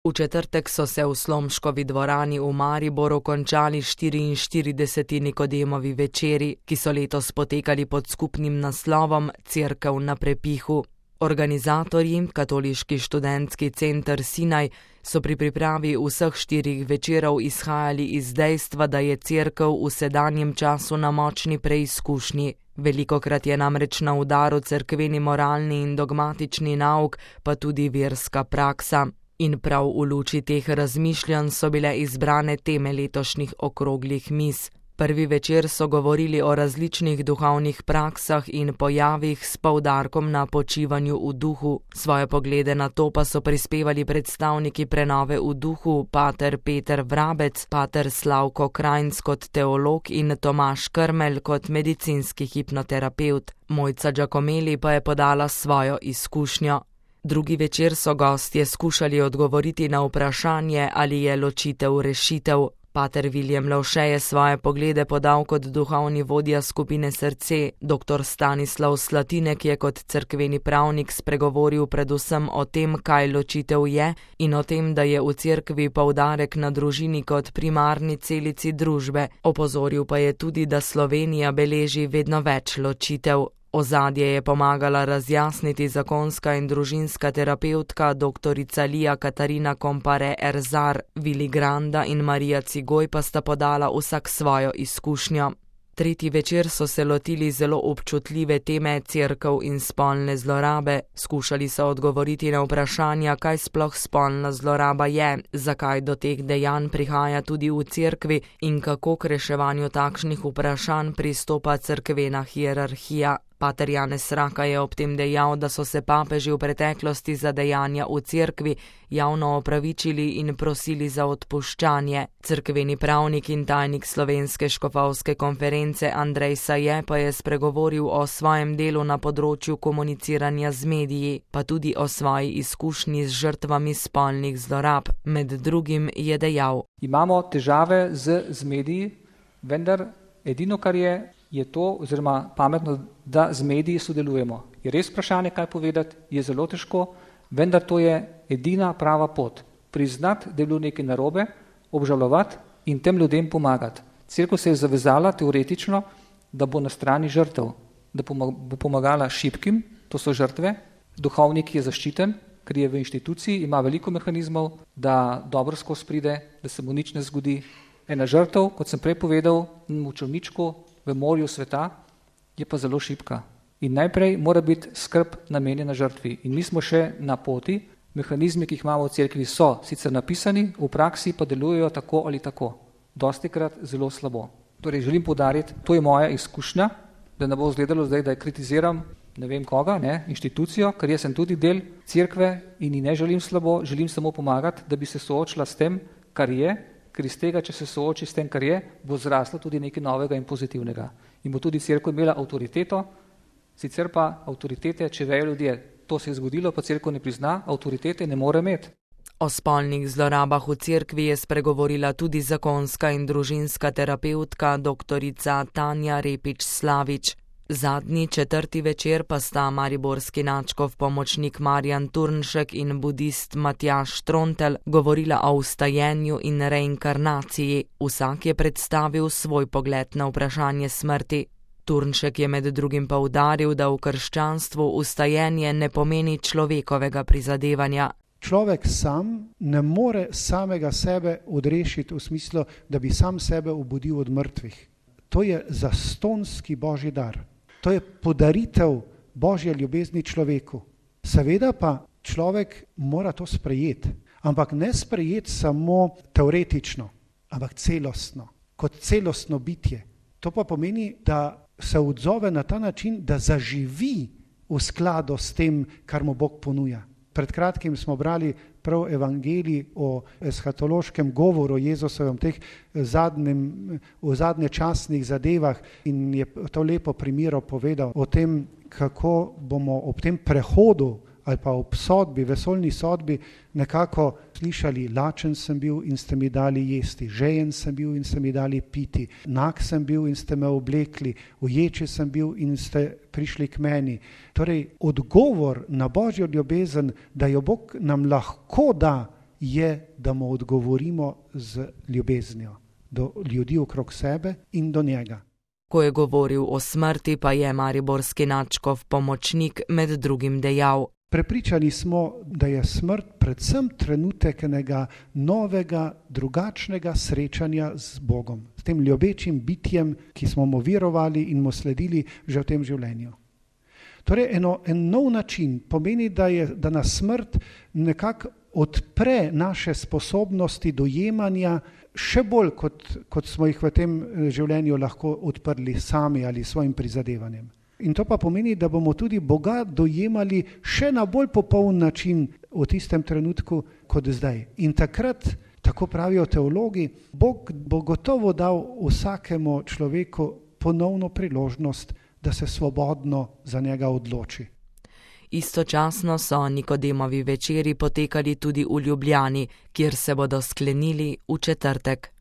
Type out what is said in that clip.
V četrtek so se v Slomškovi dvorani v Mariboru končali 44. Nikodemovi večeri, ki so letos potekali pod skupnim naslovom Cerkev na prepihu. Organizatorji, Katoliški študentski center Sinaj, so pri pripravi vseh 4 večerov izhajali iz dejstva, da je cerkev v sedanjem času na močni preizkušnji. Velikokrat je namreč na udaru cerkveni moralni in dogmatični nauk, pa tudi verska praksa. In prav v luči teh razmišljanj so bile izbrane teme letošnjih okroglih miz. Prvi večer so govorili o različnih duhovnih praksah in pojavih s poudarkom na počivanju v duhu. Svoje poglede na to pa so prispevali predstavniki prenove v duhu, pater Peter Vrabec, pater Slavko Krajnc kot teolog in Tomaž Krmelj kot medicinski hipnoterapevt. Mojca Giacomelli pa je podala svojo izkušnjo. Drugi večer so gostje skušali odgovoriti na vprašanje, ali je ločitev rešitev. Pater Viljem Lovše je svoje poglede podal kot duhovni vodja skupine Srce, dr. Stanislav Slatinek je kot cerkveni pravnik spregovoril predvsem o tem, kaj ločitev je in o tem, da je v cerkvi poudarek na družini kot primarni celici družbe. Opozoril pa je tudi, da Slovenija beleži vedno več ločitev. Ozadje je pomagala razjasniti zakonska in družinska terapevtka dr. Lija Katarina Kompare Erzar, Vili Granda in Marija Cigoj pa sta podala vsak svojo izkušnjo. Tretji večer so se lotili zelo občutljive teme cerkev in spolne zlorabe. Skušali so odgovoriti na vprašanja, kaj sploh spolna zloraba je, zakaj do teh dejanj prihaja tudi v cerkvi in kako k reševanju takšnih vprašanj pristopa cerkvena hierarhija. Pater Janez Raka je ob tem dejal, da so se papeži v preteklosti za dejanja v cerkvi javno opravičili in prosili za odpuščanje. Cerkveni pravnik in tajnik Slovenske škofovske konference Andrej Saje pa je spregovoril o svojem delu na področju komuniciranja z mediji, pa tudi o svoji izkušnji z žrtvami spolnih zlorab. Med drugim je dejal: Imamo težave z mediji, vendar edino, kar je to, oziroma pametno, da z mediji sodelujemo. Je res vprašanje, kaj povedati, je zelo težko, vendar to je edina prava pot. Priznati, da je bilo nekaj narobe, obžalovati in tem ljudem pomagati. Cerkev se je zavezala teoretično, da bo na strani žrtev, da bo pomagala šibkim, to so žrtve, duhovnik je zaščiten, ker je v inštituciji, ima veliko mehanizmov, da dobro skozi pride, da se mu nič ne zgodi. Ena žrtev, kot sem prej povedal, v čolničku, v morju sveta, je pa zelo šibka. In najprej mora biti skrb namenjena žrtvi. In mi smo še na poti, mehanizmi, ki jih imamo v cerkvi, so sicer napisani, v praksi pa delujejo tako ali tako. Dostikrat zelo slabo. Torej želim poudariti, to je moja izkušnja, da ne bo izgledalo zdaj, da kritiziram ne vem koga, inštitucijo, ker jaz sem tudi del cerkve in ji ne želim slabo, želim samo pomagati, da bi se soočila s tem, kar je, ker iz tega, če se sooči s tem, kar je, bo zraslo tudi nekaj novega in pozitivnega. In bo tudi cerkev imela avtoriteto, sicer pa avtoritete, če vejo ljudje, to se je zgodilo, pa cerkev ne prizna, avtoritete ne more imeti. O spolnih zlorabah v cerkvi je spregovorila tudi zakonska in družinska terapevtka doktorica Tanja Repič Slavič. Zadnji, četrti večer pa sta mariborski nadškof pomočnik Marjan Turnšek in budist Matjaž Trontelj govorila o vstajenju in reinkarnaciji. Vsak je predstavil svoj pogled na vprašanje smrti. Turnšek je med drugim poudaril, da v krščanstvu vstajenje ne pomeni človekovega prizadevanja. Človek sam ne more samega sebe odrešiti v smislu, da bi sam sebe obudil od mrtvih. To je zastonski božji dar. To je podaritev božje ljubezni človeku. Seveda pa človek mora to sprejeti, ampak ne sprejeti samo teoretično, ampak celostno, kot celostno bitje. To pa pomeni, da se odzove na ta način, da zaživi v skladu s tem, kar mu Bog ponuja. Pred kratkim smo brali prav evangelij o eshatološkem govoru Jezusovem, v zadnje časnih zadevah, in je to lepo primero povedal o tem, kako bomo ob tem prehodu ali pa ob sodbi, vesoljni sodbi nekako slišali: lačen sem bil in ste mi dali jesti, žejen sem bil in ste mi dali piti, nag sem bil in ste me oblekli, uječi sem bil in ste prišli k meni. Torej, odgovor na božjo ljubezen, da jo Bog nam lahko da, je, da mu odgovorimo z ljubeznijo do ljudi okrog sebe in do njega. Ko je govoril o smrti, pa je mariborski nadškof pomočnik med drugim dejal: Prepričani smo, da je smrt predvsem trenutek enega novega, drugačnega srečanja z Bogom, s tem ljubečim bitjem, ki smo mu verovali in mu sledili že v tem življenju. Torej, en nov način pomeni, da nas smrt nekako odpre naše sposobnosti dojemanja še bolj, kot smo jih v tem življenju lahko odprli sami ali svojim prizadevanjem. In to pa pomeni, da bomo tudi Boga dojemali še na bolj popoln način v tistem trenutku kot zdaj. In takrat, tako pravijo teologi, Bog bo gotovo dal vsakemu človeku ponovno priložnost, da se svobodno za njega odloči. Istočasno so Nikodemovi večeri potekali tudi v Ljubljani, kjer se bodo sklenili v četrtek.